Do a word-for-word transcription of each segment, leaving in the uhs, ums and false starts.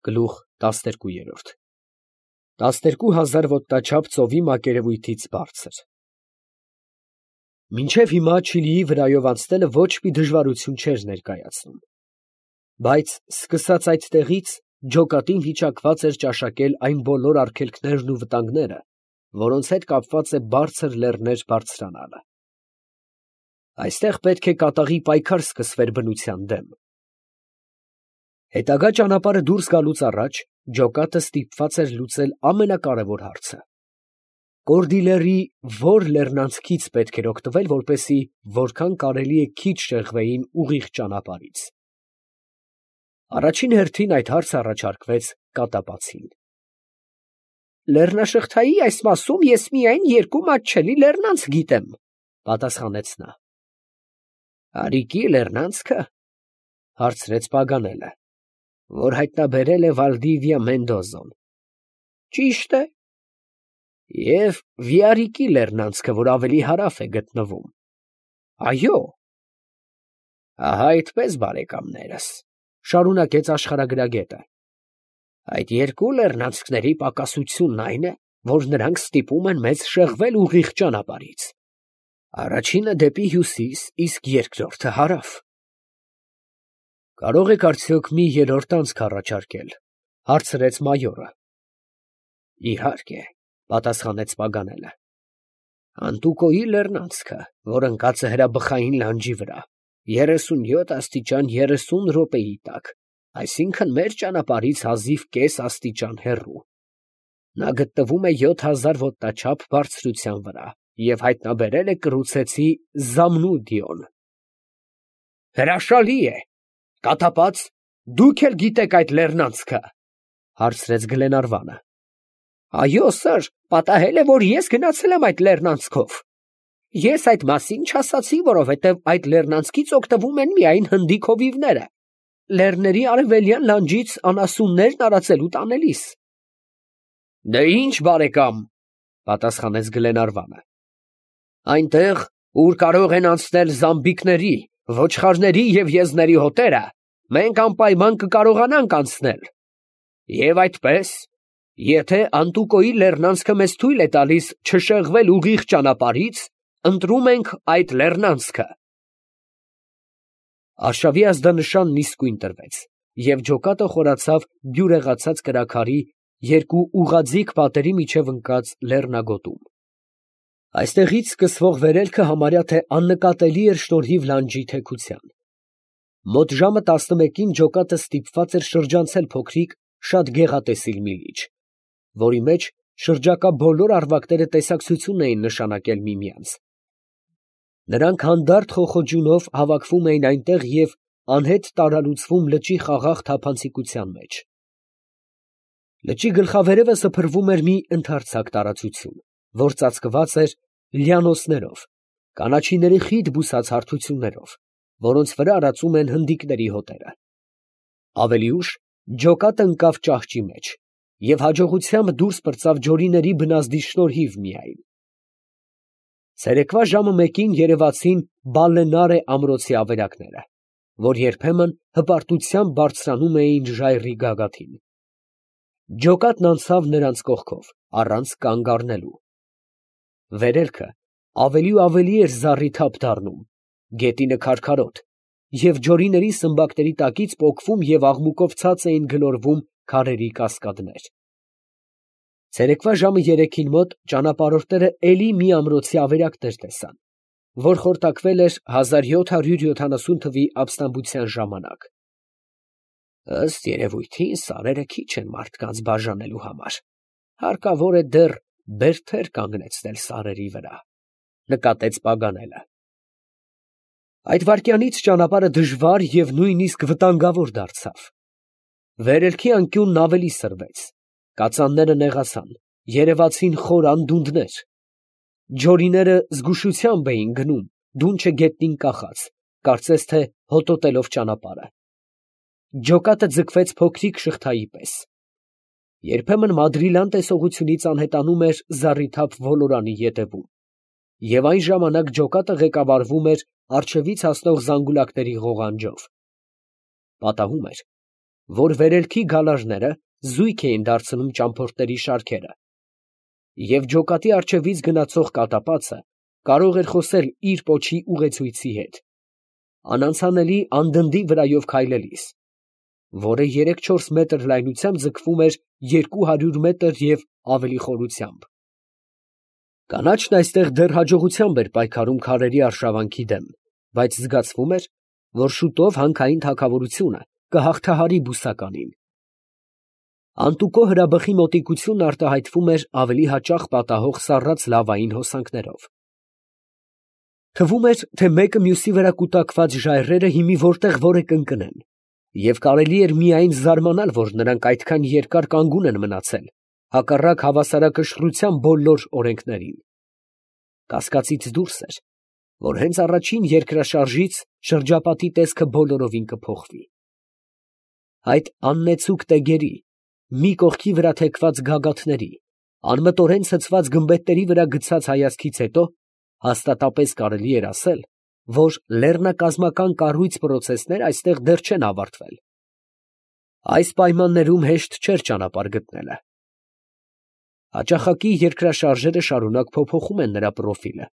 Գլուխ տասներկու։ Տասներկու հազար ոտնաչափ ծովի մակերևույթից բարձր։ Մինչև հիմա Չիլիի վրայով անցնելը ոչ մի դժվարություն չէր ներկայացնում, բայց սկսած այդտեղից ջոկատին հիշակված էր ճաշակել այն բոլոր արգելքներն ու վտանգները, որոնց հետ կապված է բարձր լեռներ բարձրանալը։ Այստեղ պետք է կատաղի պայքար սկսվեր բնության դեմ։ Հետագա ճանապարհը դուրս գալուց առաջ ջոկատը ստիպված էր լուծել ամենակարևոր հարցը. Կորդիլերի ո՞ր լեռնանցքից պետք էր օգտվել, որպեսզի որքան կարելի է քիչ շեղվեին ուղիղ ճանապարհից։ Առաջին հերթին այդ հարցը առաջարկվեց կատապացին։ Լեռնաշղթայի այս մասում ես միայն երկու մատչելի լեռնանցք գիտեմ, պատասխանեց նա։ Արիկի լեռնանցքը, հարցրեց Պագանելը, որ հայտնաբերել է Վալդիվիա Մենդոզոն։ Ճիշտ է։ Եվ Վիարիկի լեռնանցքը, որ ավելի հարավ է գտնվում։ Այո։ Ահա այդպես, բարեկամներս, շարունակեց աշխարհագրագետը։ Այդ երկու լեռնանցքների պակասությունն այն է, որ նրանք ստիպում են մեզ շեղվել ուղիղ ճանապարհից։ Առաջինը դեպի հյուսիս, իսկ երկրորդը հարավ։ Կարող եք արդյոք մի երրորդ անցք առաջարկել, հարցրեց մայորը։ Իհարկե, պատասխանեց Պագանելը։ Անտուկոյի լեռնանցքը, որ ընկած է հրաբխային լանջի վրա, երեսունյոթ աստիճան երեսուն րոպեի տակ, այսինքն մեր ճանապարհից հազիվ կես աստիճան հեռու։ Նա գտնվում է յոթ հազար ոտնաչափ բարձրության վրա և հայտնաբերել է կռուցեցի Զամնուդիոն։ Հրաշալի է, կատապած, դուք էլ գիտեք այդ լեռնանցքը, հարցրեց Գլենարվանը։ Այո, սըր, պատահել է, որ ես գնացել եմ այդ լեռնանցքով։ Ես այդ մասին չասացի, որովհետև այդ լեռնանցքից օգտվում են միայն հնդիկ հովիվները, լեռների արևելյան լանջից անասուններ տարածելու տանելիս։ Դե ինչ, բարեկամ, պատասխանեց Գլենարվանը։ Այնտեղ, ուր կարող են անցնել զամբիկների, ոչխարների և եզների հոտերը, մենք անպայման կկարողանանք անցնել։ Եվ այդպես, եթե Անտուկոյի լեռնանցքը մեզ թույլ է տալիս չշեղվել ուղիղ ճանապարհից, ընտրում ենք այդ լեռնանցքը։ Արշավի ազդանշանն իսկույն տրվեց, և ջոկատը խորացավ բյուրեղացած կրաքարի երկու ուղղաձիգ պատերի միջև ընկած լեռնագոտում։ Այստեղից սկսվող վերելքը համարյա թե աննկատելի էր շնորհիվ լանջի թեքության։ Մոտ ժամը տասնմեկին ջոկատը ստիպված էր շրջանցել փոքրիկ, շատ գեղատեսիլ մի լիճ, որի մեջ շրջակա բոլոր առվակները տեսակցություն էին նշանակել միմյանց։ Նրանք հանդարտ խոխոջունով հավաքվում էին այնտեղ և անհետ տարալուծվում լճի խաղաղ թափանցիկության մեջ։ Լճի գլխավերևը սփռվում էր մի ընդարձակ տարածություն, որ ծածկված էր լյանոսներով, կանաչիների խիտ բուսած հարթություններով, որոնց վրա արածում են հնդիկների հոտերը։ Ավելի ուշ ջոկատը ընկավ ճահճի մեջ և հաջողությամբ դուրս պրծավ ջորիների բնազդի շնորհիվ միայն։ Ցերեկվա ժամը մեկին երևացին Բալենարե ամրոցի ավերակները, որ երբեմն հպարտությամբ բարձրանում էին ժայռի գագաթին։ Ջոկատն անցավ նրանց կողքով, առանց կանգ առնելու։ Վերելքը ավելի ու ավելի էր զառիթափ դառնում, գետինը քարքարոտ, և ջորիների սմբակների տակից պոկվում և աղմուկով ցած էին գլորվում քարերի կասկադներ։ Ցերեկվա ժամը երեքին մոտ ճանապարհորդները էլի մի ամրոցի ավերակներ տեսան, որ խորտակվել էր հազար յոթ հարյուր յոթանասուն թվականի ապստամբության ժամանակ։ Ըստ երևույթին սարերը քիչ են մարդկանց բաժանելու համար, հարկավոր է դեռ բերդեր կանգնեցնել սարերի վրա, նկատեց Պագանելը։ Այդ վայրկյանից ճանապարհը դժվար և նույնիսկ վտանգավոր դարձավ։ Վերելքի անկյունն ավելի սրվեց, կածանները նեղացան, երևացին խոր անդունդներ։ Ջորիները զգուշությամբ էին գնում, դունչը գետնին կախած, կարծես թե հոտոտելով ճանապարհը։ Ջոկատը ձգվեց փոքրիկ շղթայի պես։ Երբեմն մադրիլան տեսողությունից անհետանում էր զառիթափ ոլորանի ետևում, և այն ժամանակ ջոկատը ղեկավարվում էր առջևից հասնող զանգուլակների ղողանջով։ Պատահում էր, որ վերելքի գալաժները զույգ էին դարձնում ճամփորդների շարքերը, և ջոկատի առջևից գնացող կատապածը կարող էր խոսել իր պոչի ուղեցույցի հետ, անանցանելի անդնդի վրայով քայլելիս, որը երեք֊չորս մետր լայնությամբ ձգվում էր երկու հարյուր մետր և ավելի խորությամբ։ Կանաչն այստեղ դեռ հաջողությամբ էր պայքարում քարերի արշավանքի դեմ, բայց զգացվում էր, որ շուտով հանքային թագավորությունը կհաղթահարի բուսականին։ Անտուկո հրաբխի մոտիկությունն արտահայտվում էր ավելի հաճախ պատահող սառած լավային հոսանքներով։ Թվում էր, թե մեկը մյուսի վրա կուտակված ժայռերը հիմի որտեղ որ է կընկնեն, և կարելի էր միայն զարմանալ, որ նրանք այդքան երկար կանգուն են մնացել, հակառակ հավասարակշռության բոլոր օրենքներին։ Կասկածից դուրս էր, որ հենց առաջին երկրաշարժից շրջապատի տեսքը բոլորովին կփոխվի։ Այդ աննեցուկ տեգերի, մի կողքի վրա թեքված գագաթների, անմտորեն ցցված գմբեթների վրա գցած հայացքից հետո հաստատապես կարելի էր ասել, որ լեռնակազմական կառույց պրոցեսները այստեղ դեռ չեն ավարտվել։ Այս պայմաններում հեշտ չէր ճանապարհ գտնելը։ Հաճախակի երկրաշարժերը շարունակ փոփոխում են նրա պրոֆիլը,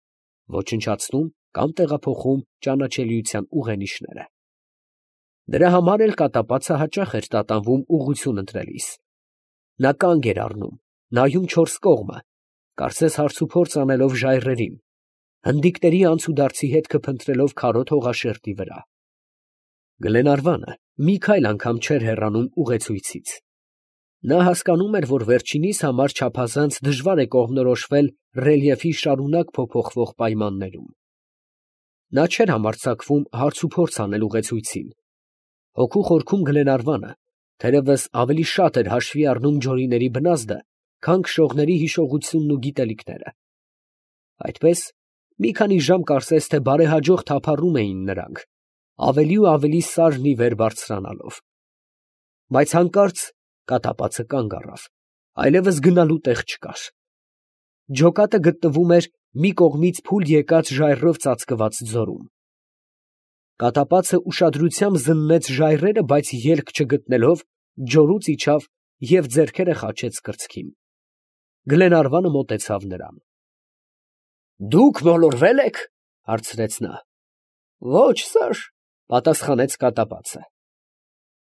ոչնչացնում կամ տեղափոխում ճանաչելիության ուղենիշները։ Դրա համար էլ կատապածը հաճախ էր տատանվում ուղղություն ընտրելիս։ Նա կանգ էր առնում, նայում չորս կողմը, կարծես հարցուփորձ անելով ժայռերին, հնդիկների անցուդարձի հետքը փնտրելով քարոտ հողաշերտի վրա։ Գլենարվանը մի քայլ անգամ չէր հեռանում ուղեցույցից։ Նա հասկանում էր, որ վերջինիս համար չափազանց դժվար է կողմնորոշվել ռելիեֆի շարունակ փոփոխվող պայմաններում։ Նա չէր համարձակվում հարցուփորձ անել ուղեցույցին։ Հոգու խորքում Գլենարվանը թերևս ավելի շատ էր հաշվի առնում ջորիների բնազդը, քան քշողների հիշողությունն ու գիտելիքները։ Այդպես մի քանի ժամ կարծես թե բարեհաջող թափառում էին նրանք, ավելի ու ավելի սարն ի վեր բարձրանալով։ Բայց հանկարծ կատապածը կանգ առավ, այլևս գնալու տեղ չկար։ Ջոկատը գտնվում էր մի կողմից փուլ եկած ժայռով ծածկված ձորում։ Կատապածը ուշադրությամբ զննեց ժայռերը, բայց ելք չգտնելով, ջորուց իջավ և ձեռքերը խաչեց կրծքին։ Գլենարվանը մոտեցավ նրան։ ֊ Դուք մոլորվե՞լ եք, ֊ հարցրեց նա։ ֊ Ոչ, սըր, ֊ պատասխանեց կատապածը։ ֊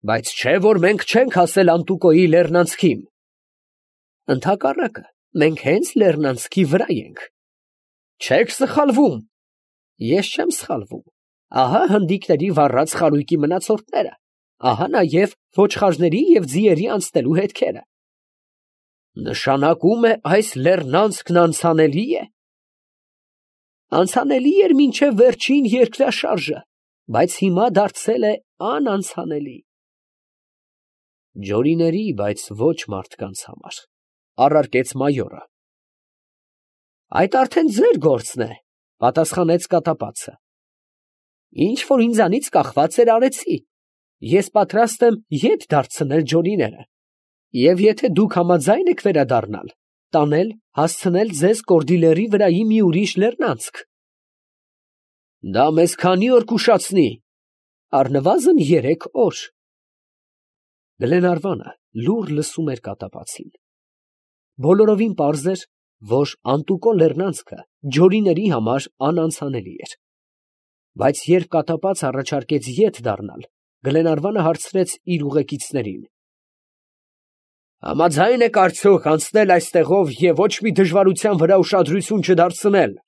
Բայց չէ՞ որ մենք չենք հասել Անտուկոյի լեռնանցքին։ ֊ Ընդհակառակը, մենք հենց լեռնանցքի վրա ենք։ ֊ Չեք սխալվում։ ֊ Ես չեմ սխալվում։ Ահա հնդիկների վառած խարույկի մնացորդները, ահա նաև ոչխարների և ձիերի անցնելու հետքերը։ ֊ Նշանակում է այս լեռնանցքն անցանելի է։ ֊ Անցանելի էր մինչև վերջին երկրաշարժը, բայց հիմա դարձել է անանցանելի։ ֊ Ջորիների, բայց ոչ մարդկանց համար, ֊ առարկեց մայորը։ ֊ Այդ արդեն ձեր գործն է, ֊ պատասխանեց կատապածը։ ֊ Ինչ որ ինձանից կախված էր, արեցի. ես պատրաստ եմ ետ դարձնել ջորիները, և եթե դուք համաձայն եք վերադառնալ, տանել, հասցնել ձեզ Կորդիլերի վրայի մի ուրիշ լեռնանցք։ ֊ Դա մեզ քանի՞ օր կուշացնի։ ֊ Առնվազն երեք օր։ Գլենարվանը լուռ լսում էր կատապածին։ Բոլորովին պարզ էր, որ Անտուկո լեռնանցքը ջորիների համար անանցանելի էր։ Բայց երբ կատապածը առաջարկեց ետ դառնալ, Գլենարվանը հարցրեց իր ուղեկիցներին. ֊ Համաձա՞յն եք արդյոք անցնել այստեղով և ոչ մի դժվարության վրա ուշադրություն չդարձնել։ ֊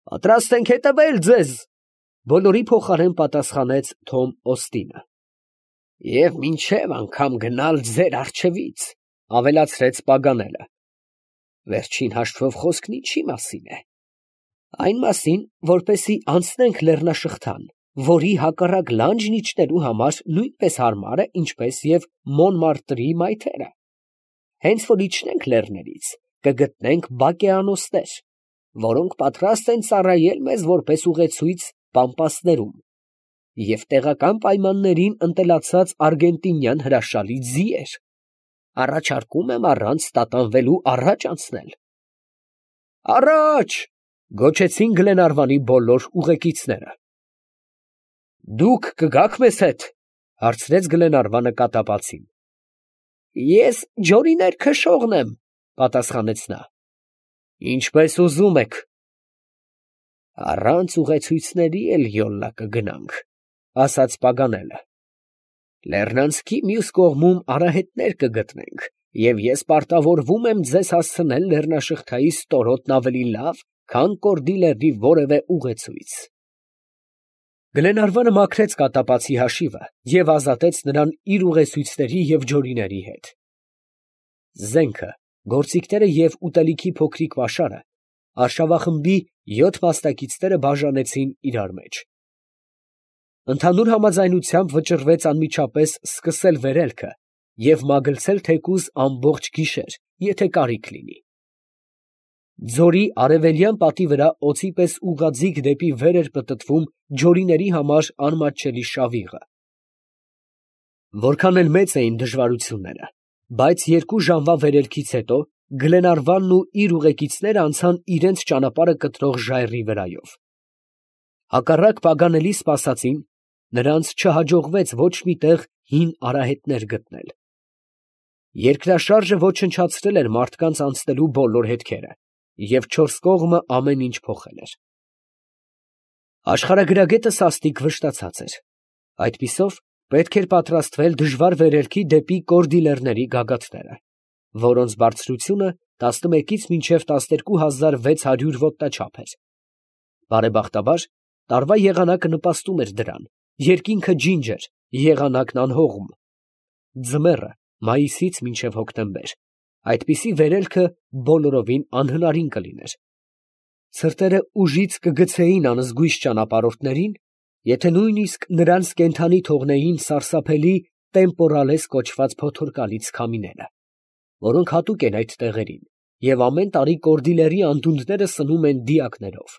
Պատրաստ ենք հետևել ձեզ, ֊ բոլորի փոխարեն պատասխանեց Թոմ Օստինը։ ֊ Եվ մինչև անգամ գնալ ձեր առջևից, ֊ ավելացրեց Պագանելը։ ֊ Վերջին հաշվով խոսքն ինչի մասին է։ ֊ Այն մասին, որպեսզի անցնենք լեռնաշղթան, որի հակառակ լանջն իջնելու համար նույնպես հարմար է, ինչպես և Մոնմարտրի մայթերը։ Հենց որ իջնենք լեռներից, կգտնենք բակեանոստեր, որոնք պատրաստ են ծառայել մեզ որպես ուղեցույց պամպասներում, և տեղական պայմաններին ընտելացած արգենտինյան հրաշալի ձիեր։ Առաջարկում եմ առանց տատանվելու առաջ անցնել։ ֊ Առաջ, ֊ գոչեցին Գլենարվանի բոլոր ուղեկիցները։ ֊ Դուք կգաք մեզ հետ, ֊ Հարցրեց Գլենարվանը կատապացին։ Ես ջորիներ քշողն եմ, պատասխանեց նա։ Ինչպես ուզում եք։ Առանց ուղեցույցների էլ յոլլա կգնանք, ասաց Պագանելը։ Լեռնանցքի մյուս կողմում արահետներ կգտնենք, և ես պարտավորվում եմ ձեզ հասցնել լեռնաշղթայի ստորոտն ավելի լավ, քան Կորդի լեռնի որևէ ուղեցույց։ Գլենարվանը մաքրեց կատապացի հաշիվը և ազատեց նրան իր ուղեցույցների և ջորիների հետ։ Զենքը, գործիքները և ուտելիքի փոքրիկ պաշարը արշավախմբի յոթ մասնակիցները բաժանեցին իրար մեջ։ Ընդհանուր համաձայնությամբ վճռվեց անմիջապես սկսել վերելքը և մագլցել թեկուզ ամբողջ գիշեր, եթե կարիք լինի։ Ձորի արևելյան պատի վրա օձի պես ուղղաձիգ դեպի վեր էր պտտվում ջորիների համար անմատչելի շավիղը։ Որքան էլ մեծ էին դժվարությունները, բայց երկու ժամվա վերելքից հետո Գլենարվանն ու իր ուղեկիցները անցան իրենց ճանապարհը կտրող ժայռի վրայով։ Հակառակ Պագանելի սպասածին, նրանց չհաջողվեց ոչ մի տեղ հին արահետներ գտնել։ Երկրաշարժը ոչնչացրել էր մարդկանց անցնելու բոլոր հետքերը, և չորս կողմը ամեն ինչ փոխել էր։ Աշխարհագրագետը սաստիկ վշտացած էր։ Այդպիսով պետք էր պատրաստվել դժվար վերելքի դեպի Կորդի լեռների գագաթները, որոնց բարձրությունը տասնմեկից մինչև տասներկու հազար վեց հարյուր ոտնաչափ էր։ Բարեբախտաբար, տարվա եղանակը նպաստում էր դրան, երկինքը ջինջ էր, եղանակն անհողմ։ Ձմեռը մայիսից մինչև հոկտեմբեր, այդպիսի վերելքը բոլորովին անհնարին կլիներ։ Ցրտերը ուժից կգցեին անզգույշ ճանապարհորդներին, եթե նույնիսկ նրանց կենդանի թողնեին սարսափելի տեմպորալես կոչված փոթորկալից քամիները, որոնք հատուկ են այդ տեղերին և ամեն տարի Կորդի լեռի անդունդները սնում են դիակներով։